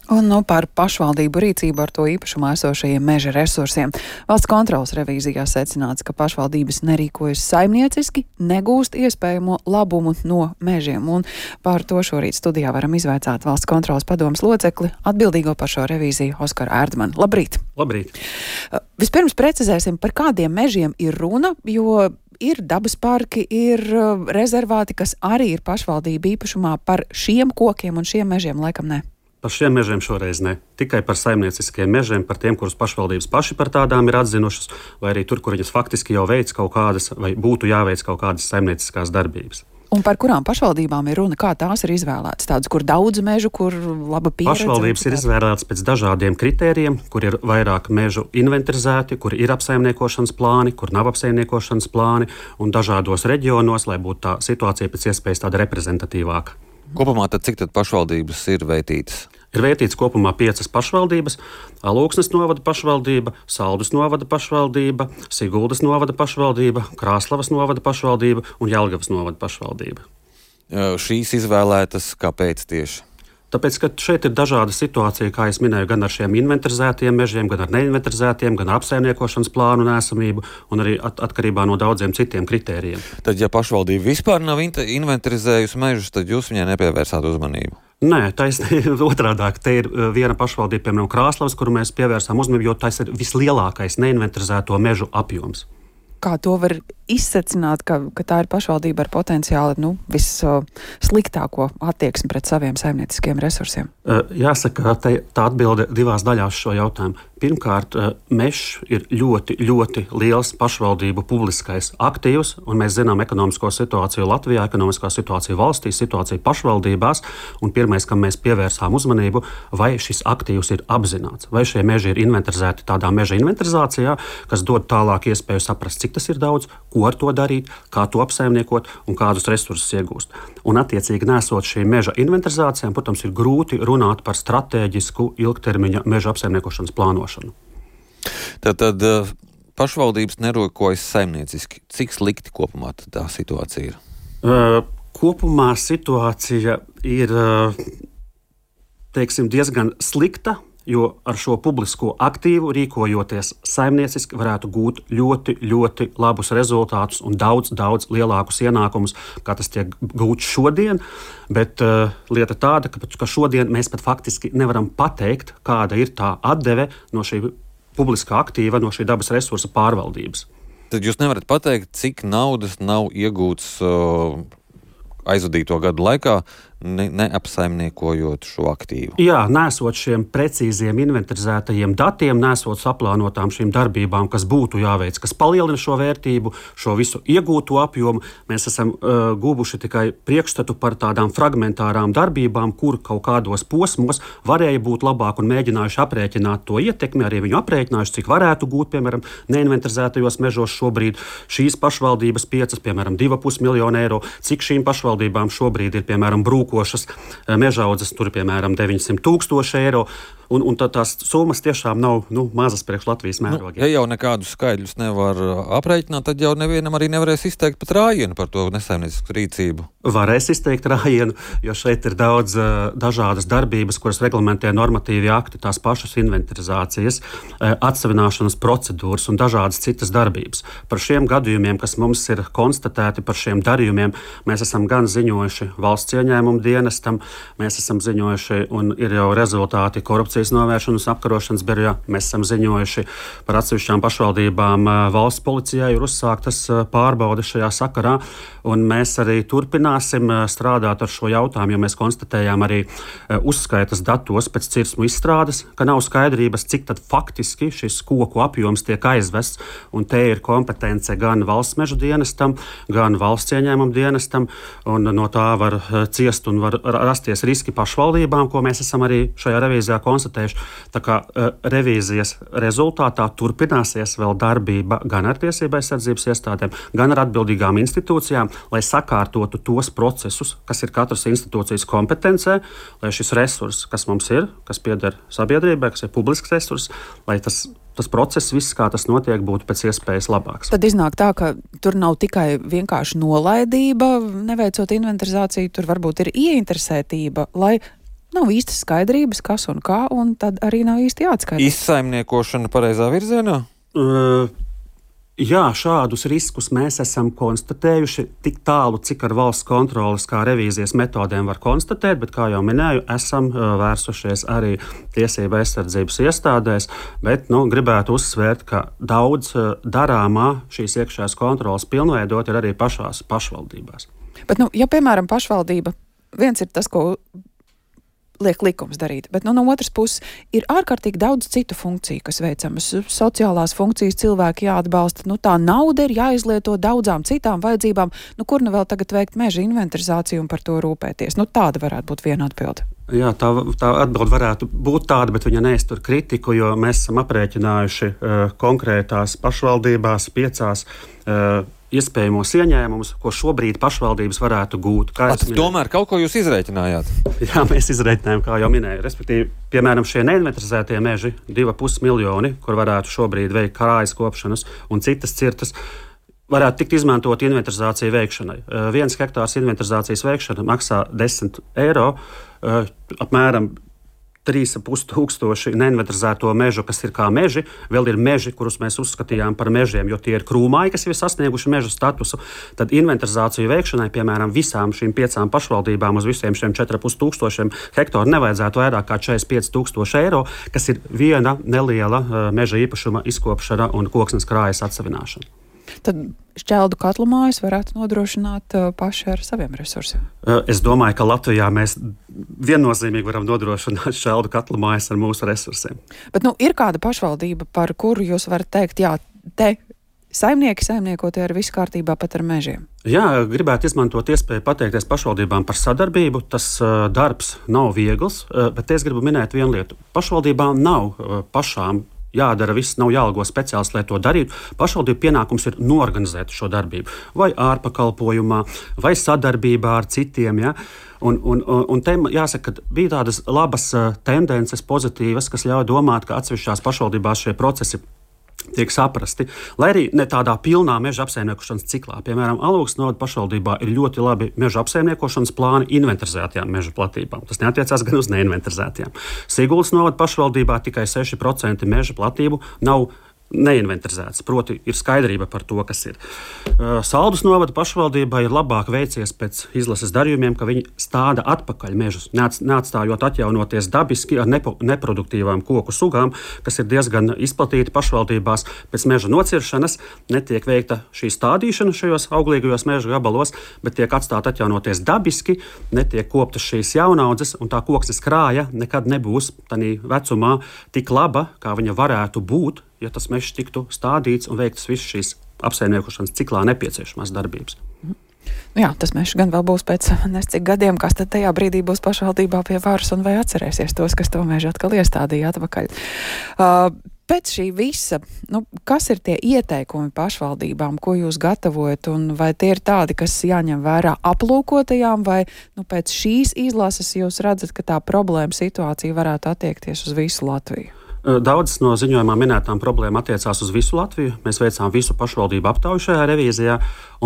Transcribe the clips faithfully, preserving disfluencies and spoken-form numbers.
Un nu, par pašvaldību rīcību ar to īpašumā esošajiem meža resursiem. Valsts kontrolas revīzijā secināts, ka pašvaldības nerīkojas saimnieciski, negūst iespējamo labumu no mežiem. Un par to šorīt studijā varam izvaicāt Valsts kontrolas padomes locekli, atbildīgo par šo revīziju Oskaru Erdmanu. Labrīt! Labrīt! Vispirms precizēsim, par kādiem mežiem ir runa, jo ir dabas parki, ir rezervāti, kas arī ir pašvaldību īpašumā. Par šiem kokiem un šiem mežiem laikam ne. Par šiem mežiem šoreiz ne. Tikai par saimnieciskiem mežiem, par tiem, kurus pašvaldības paši par tādām ir atzinušas, vai arī tur, kur viņas faktiski jau veic kaut kādas, vai būtu jāveic kaut kādas saimnieciskās darbības. Un par kurām pašvaldībām ir runa, kā tās ir izvēlētas? Tādas, kur daudz mežu, kur laba pieredze? Pašvaldības ir izvēlētas pēc dažādiem kritērijiem, kur ir vairāk mežu inventarizēti, kur ir apsaimniekošanas plāni, kur nav apsaimniekošanas plāni, un dažādos reģionos, lai būtu tā situācija pēc iespējas tāda reprezentatīvāka. Kopumā tad cik tad pašvaldības ir veitītas? Ir veitīts kopumā piecas pašvaldības - Alūksnes novada pašvaldība, Saldus novada pašvaldība, Siguldas novada pašvaldība, Krāslavas novada pašvaldība un Jelgavas novada pašvaldība. Šīs izvēlētas kāpēc tieši? Tāpēc, ka šeit ir dažāda situācija, kā es minēju, gan ar šiem inventarizētiem mežiem, gan ar neinventarizētiem, gan ar apsaimniekošanas plānu nesamību un arī at atkarībā no daudziem citiem kritērijiem. Tad, ja pašvaldība vispār nav inventarizējusi mežus, tad jūs viņai nepievērsāt uzmanību? Nē, taisnība otrādāk. Te ir viena pašvaldība, piemēram, Krāslavas, kuru mēs pievērsām uzmanību, jo tas ir vislielākais neinventarizēto mežu apjoms. Kā to var izsecināt, ka, ka tā ir pašvaldība ar potenciāli nu, vissliktāko attieksmi pret saviem saimnieciskiem resursiem? Jāsaka, te, tā atbilde divās daļās šo jautājumu. Pirmkārt, mežs ir ļoti, ļoti liels pašvaldību publiskais aktīvs, un mēs zinām ekonomisko situāciju Latvijā, ekonomiskā situācija valstī, situācija pašvaldībās, un pirmais, kam mēs pievērsām uzmanību, vai šis aktīvs ir apzināts, vai šie meži ir inventarizēti tādā meža inventarizācijā, kas dod tālāk iespēju saprast, cik tas ir daudz, ko ar to darīt, kā to apsaimniekot un kādus resursus iegūst. Un attiecīgi nesot šīm meža inventarizācijām, protams, ir grūti runāt par stratēģisku ilgtermiņa meža apsaimniekošanas plānošanu. Tātad pašvaldības nerīkojas saimnieciski. Cik slikti kopumā tā situācija ir? Uh, kopumā situācija ir uh, teiksim, diezgan slikta, jo ar šo publisko aktīvu rīkojoties saimnieciski varētu gūt ļoti, ļoti labus rezultātus un daudz, daudz lielākus ienākumus, kā tas tiek gūts šodien. Bet uh, lieta tāda, ka, ka šodien mēs pat faktiski nevaram pateikt, kāda ir tā atdeve no šī publiskā aktīva, no šī dabas resursa pārvaldības. Tad jūs nevarat pateikt, cik naudas nav iegūts uh, aizvadīto gadu laikā, ne, neapsaimniekojot šo aktīvu. Jā, nesot šiem precīziem inventarizētajiem datiem, nesot saplānotām šīm darbībām, kas būtu jāveic, kas palielina šo vērtību, šo visu iegūto apjomu, mēs esam uh, guvuši tikai priekšstatu par tādām fragmentārām darbībām, kur kaut kādos posmos varēja būt labāk un mēģinājuši aprēķināt to ietekmi, arī viņu aprēķinājuši, cik varētu gūt, piemēram, neinventarizētajos mežos šobrīd šīs pašvaldības piecas, piemēram, divi pusi miljonu eiro, cik šīm pašvaldībām šobrīd ir, piemēram, brūk košas mežaudzes, tur piemēram deviņsimt tūkstoši eiro, un, un tā, tās summas tiešām nav nu, mazas priekš Latvijas mērogiem. Nu, ja jau nekādus skaidļus nevar aprēķināt, tad jau nevienam arī nevarēs izteikt pat rājienu par to nesaimniecisku rīcību. Varēs izteikt rājienu, jo šeit ir daudz uh, dažādas darbības, kuras reglamentē normatīvi akti, tās pašas inventarizācijas, uh, atsevināšanas procedūras un dažādas citas darbības. Par šiem gadījumiem, kas mums ir konstatēti, par šiem darījumiem, mēs esam gan ziņojuši valsts ieņēmumu dienestam, mēs esam ziņojuši un ir jau rezultāti korupcijas novēršanas apkarošanas birojā, mēs esam ziņojuši par atsevišķām pašvaldībām, uh, valsts policijai ir uzsāktas uh, pārbaudes šajā sakarā, un mēs arī turpinām strādāt ar šo jautājumu, jo mēs konstatējām arī uzskaitas datos pēc cirsmu izstrādes, ka nav skaidrības, cik tad faktiski šis koku apjoms tiek aizvests, un te ir kompetence gan valsts meža dienestam, gan valsts ieņēmuma dienestam, un no tā var ciest un var rasties riski pašvaldībām, ko mēs esam arī šajā revīzijā konstatējuši. Tā kā revīzijas rezultātā turpināsies vēl darbība gan ar tiesību aizsardzības iestādēm, gan ar atbildīgām institūcijām, lai sakārtotu tos procesus, kas ir katras institūcijas kompetencē, lai šis resurs, kas mums ir, kas pieder sabiedrībai, kas ir publisks resurs, lai tas, tas process, viss, kā tas notiek, būtu pēc iespējas labāks. Tad iznāk tā, ka tur nav tikai vienkārši nolaidība, neveicot inventarizāciju, tur varbūt ir ieinteresētība, lai nav īstas skaidrības, kas un kā, un tad arī nav īsti jāatskaidro. Izsaimniekošana pareizā virzienā? Uh, Jā, šādus riskus mēs esam konstatējuši tik tālu, cik ar valsts kontroles kā revīzijas metodēm var konstatēt, bet, kā jau minēju, esam vērsušies arī tiesību aizsardzības iestādēs, bet nu, gribētu uzsvērt, ka daudz darāmā šīs iekšējās kontroles pilnveidot ir arī pašās pašvaldībās. Bet, nu, ja, piemēram, pašvaldība, viens ir tas, ko liek likums darīt, bet nu, no otras puses ir ārkārtīgi daudz citu funkciju, kas veicamas. Sociālās funkcijas cilvēki jāatbalsta, nu tā nauda ir jāizlieto daudzām citām vajadzībām, nu kur nu vēl tagad veikt meža inventarizāciju un par to rūpēties. Nu tāda varētu būt viena atbilde. Jā, tā, tā atbilde varētu būt tāda, bet viņa neiztur kritiku, jo mēs esam aprēķinājuši uh, konkrētās pašvaldībās piecās uh, iespējamos ieņēmumus, ko šobrīd pašvaldības varētu gūt. At, tomēr kaut ko jūs izrēķinājāt? Jā, mēs izrēķinājām, kā jau minēju. Respektīvi, piemēram, šie neinventarizētie meži, divi ar pus miljoni, kur varētu šobrīd veikt krājas kopšanas un citas cirtas, varētu tikt izmantot inventarizāciju veikšanai. Uh, viens hektārs inventarizācijas veikšana maksā desmit eiro, uh, apmēram trīs ar pus tūkstoši neinventarizēto mežu, kas ir kā meži. Vēl ir meži, kurus mēs uzskatījām par mežiem, jo tie ir krūmāji, kas jau ir sasnieguši meža statusu. Tad inventarizāciju veikšanai, piemēram, visām šīm piecām pašvaldībām uz visiem šiem četri ar pus tūkstošiem hektāru nevajadzētu vairāk kā četrdesmit pieci tūkstoši eiro, kas ir viena neliela uh, meža īpašuma izkopšana un koksnes krājas atsavināšana. Tad šķeldu katlu mājas varētu nodrošināt uh, paši ar saviem resursiem. Es domāju, ka Latvijā mēs viennozīmīgi varam nodrošināt šķeldu katlu mājas ar mūsu resursiem. Bet nu, ir kāda pašvaldība, par kuru jūs varat teikt, jā, te saimnieki saimniekotie ar visu kārtībā pat ar mežiem? Jā, gribētu izmantot iespēju pateikties pašvaldībām par sadarbību. Tas uh, darbs nav viegls, uh, bet es gribu minēt vienu lietu. Pašvaldībām nav uh, pašām jādara viss, nav jāalgo speciālists, lai to darītu. Pašvaldību pienākums ir norganizēt šo darbību. Vai ārpakalpojumā, vai sadarbībā ar citiem. Ja? Un, un, un te jāsaka, ka bija tādas labas tendences, pozitīvas, kas ļauj domāt, ka atsevišķās pašvaldībās šie procesi tiek saprasti, lai arī ne tādā pilnā meža apsaimniekošanas ciklā. Piemēram, Alūksnes novada pašvaldībā ir ļoti labi meža apsaimniekošanas plāni inventarizētajām meža platībām. Tas neatiecās gan uz neinventarizētajām. Siguldas novada pašvaldībā tikai seši procenti meža platību nav neinventarizēts, proti ir skaidrība par to, kas ir. Uh, Saldus novada pašvaldībai ir labāk veicies pēc izlases darījumiem, ka viņi stāda atpakaļ mežus, neatstājot atjaunoties dabiski ar nepo, neproduktīvām koku sugām, kas ir diezgan izplatīti pašvaldībās. Pēc meža nociršanas netiek veikta šī stādīšana šajos auglīgajos meža gabalos, bet tiek atstāta atjaunoties dabiski, netiek koptas šīs jaunaudzes, un tā koksnes krāja nekad nebūs tādā vecumā tik laba, kā viņa varētu būt, ja tas mežs tiktu stādīts un veiktas visas šīs apsaimniekošanas ciklā nepieciešamās darbības. Nu jā, tas mežs gan vēl būs pēc nescik gadiem, kas tad tajā brīdī būs pašvaldībā pie varas un vai atcerēsies tos, kas to mežu atkal iestādīja atpakaļ. Uh, pēc šī visa, nu, kas ir tie ieteikumi pašvaldībām, ko jūs gatavojat, un vai tie ir tādi, kas jāņem vērā aplūkotajām, vai nu, pēc šīs izlases jūs redzat, ka tā problēma situācija varētu attiekties uz visu Latviju? Daudzas no ziņojumā minētām problēmām attiecās uz visu Latviju. Mēs veicām visu pašvaldību aptauju šajā revīzijā,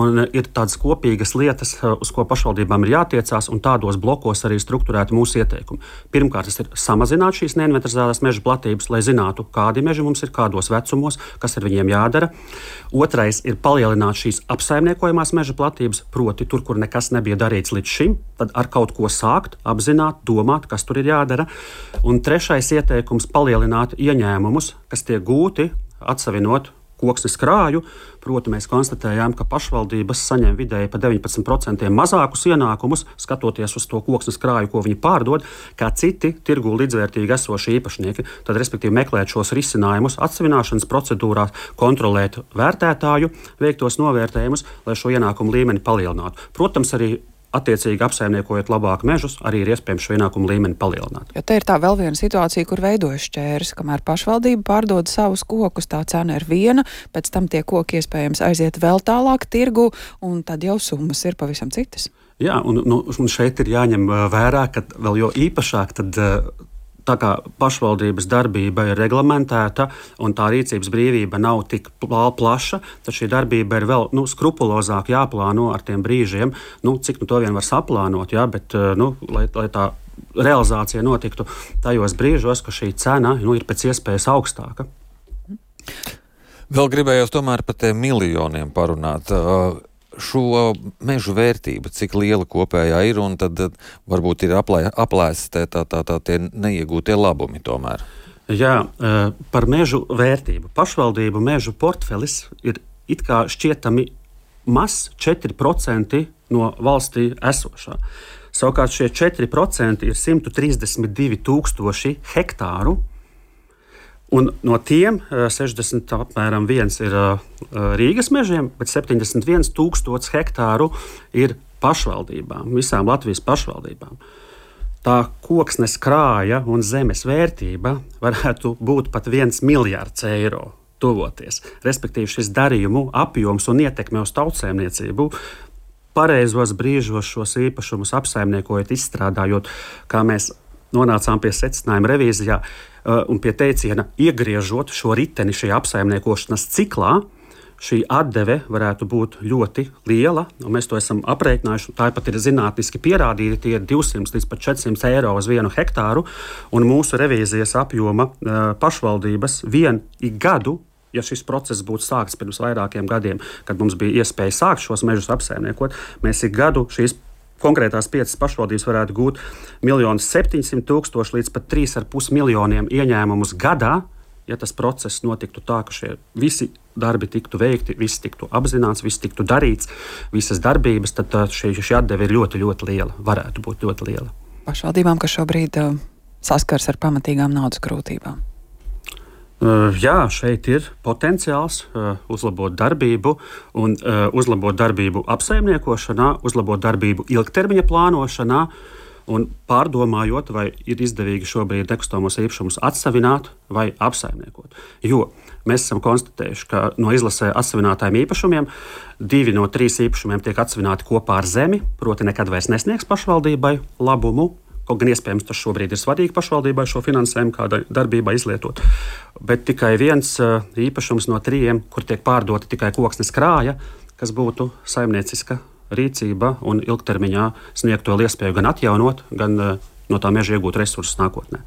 un ir tādas kopīgas lietas, uz ko pašvaldībām ir jātiecās, un tādos blokos arī strukturēti mūsu ieteikumi. Pirmkārt, tas ir samazināt šīs neinventarizētās meža platības, lai zinātu, kādi meži mums ir, kādos vecumos, kas ar viņiem jādara. Otrais ir palielināt šīs apsaimniekojamās meža platības, proti tur, kur nekas nebija darīts līdz šim, tad ar kaut ko sākt, apzināt, domāt, kas tur ir jādara. Un trešais ieteikums - palielināt ieņēmumus, kas tiek gūti atsavinot koksnes krāju. Proti, mēs konstatējām, ka pašvaldības saņem vidēji pa deviņpadsmit procentiem mazākus ienākumus, skatoties uz to koksnes krāju, ko viņi pārdod, kā citi tirgū līdzvērtīgi esošie īpašnieki. Tad, respektīvi, meklēt šos risinājumus atsavināšanas procedūrā, kontrolēt vērtētāju veiktos novērtējumus, lai šo ienākumu līmeni palielinātu. Protams, arī attiecīgi apsaimniekojot labāk mežus, arī ir iespējams šo ienākumu līmeni palielināt. Jo te ir tā vēl viena situācija, kur veidojas šķērs, kamēr pašvaldība pārdod savus kokus, tā cena ir viena, pēc tam tie koki iespējams aiziet vēl tālāk tirgu, un tad jau summas ir pavisam citas. Jā, un, nu, un šeit ir jāņem vērā, ka vēl jo īpašāk tad tā kā pašvaldības darbība ir reglamentēta un tā rīcības brīvība nav tik plaša, tad šī darbība ir vēl nu, skrupulozāk jāplāno ar tiem brīžiem, nu, cik nu to vien var saplānot, jā, bet nu, lai, lai tā realizācija notiktu tajos brīžos, ka šī cena nu, ir pēc iespējas augstāka. Vēl gribējos tomēr par tiem miljoniem parunāt. Šo mežu vērtību, cik liela kopējā ir, un tad varbūt ir aplē, aplēsti tā, tā, tā, tie neiegūtie labumi tomēr. Jā, par mežu vērtību. Pašvaldību mežu portfelis ir it kā šķietami mazs četri procenti no valstī esošā. Savukārt šie četri procenti ir simt trīsdesmit divi tūkstoši hektāru, un no tiem sešdesmit apmēram viens ir Rīgas mežiem, bet septiņdesmit viens tūkstoši hektāru ir pašvaldībām, visām Latvijas pašvaldībām. Tā koksnes krāja un zemes vērtība varētu būt pat viens miljards eiro tuvoties. Respektīvi šis darījumu apjoms un ietekme uz tautsēmniecību pareizos brīžos šos īpašumus apsaimniekojot, izstrādājot, kā mēs nonācām pie secinājuma revīzijā un pie teiciena iegriežot šo riteni šajā apsaimniekošanas ciklā, šī atdeve varētu būt ļoti liela, un mēs to esam aprēķinājuši. Tā pat ir zinātniski pierādīta, tie ir divsimt līdz pat četrsimt eiro uz vienu hektāru, un mūsu revīzijas apjoma pašvaldības vien ik gadu, ja šis process būtu sākts pirms vairākiem gadiem, kad mums bija iespēja sākt šos mežus apsaimniekot, mēs ik gadu šīs konkrētās piecas pašvaldības varētu gūt miljonus septiņsimt tūkstoši līdz pat trīs ar pus miljoniem ieņēmumus gadā, ja tas process notiktu tā, ka šie visi darbi tiktu veikti, viss tiktu apzināts, viss tiktu darīts, visas darbības, tad šī, šī atdeve ir ļoti, ļoti liela, varētu būt ļoti liela. Pašvaldībām, kas šobrīd uh, saskars ar pamatīgām naudas grūtībām. Uh, jā, šeit ir potenciāls uh, uzlabot darbību un uh, uzlabot darbību apsaimniekošanā, uzlabot darbību ilgtermiņa plānošanā un pārdomājot, vai ir izdevīgi šobrīd nekustamos īpašumus atsavināt vai apsaimniekot. Jo mēs esam konstatējuši, ka no izlasē atsavinātājiem īpašumiem divi no trīs īpašumiem tiek atsavināti kopā ar zemi, proti nekad vairs nesniegs pašvaldībai labumu. Kaut gan iespējams tas šobrīd ir svarīgi pašvaldībai šo finansējumu kādai darbībai izlietot. Bet tikai viens īpašums no trījiem, kur tiek pārdota tikai koksnes krāja, kas būtu saimnieciska rīcība un ilgtermiņā sniegt to iespēju gan atjaunot, gan no tā meža iegūt resursus nākotnē.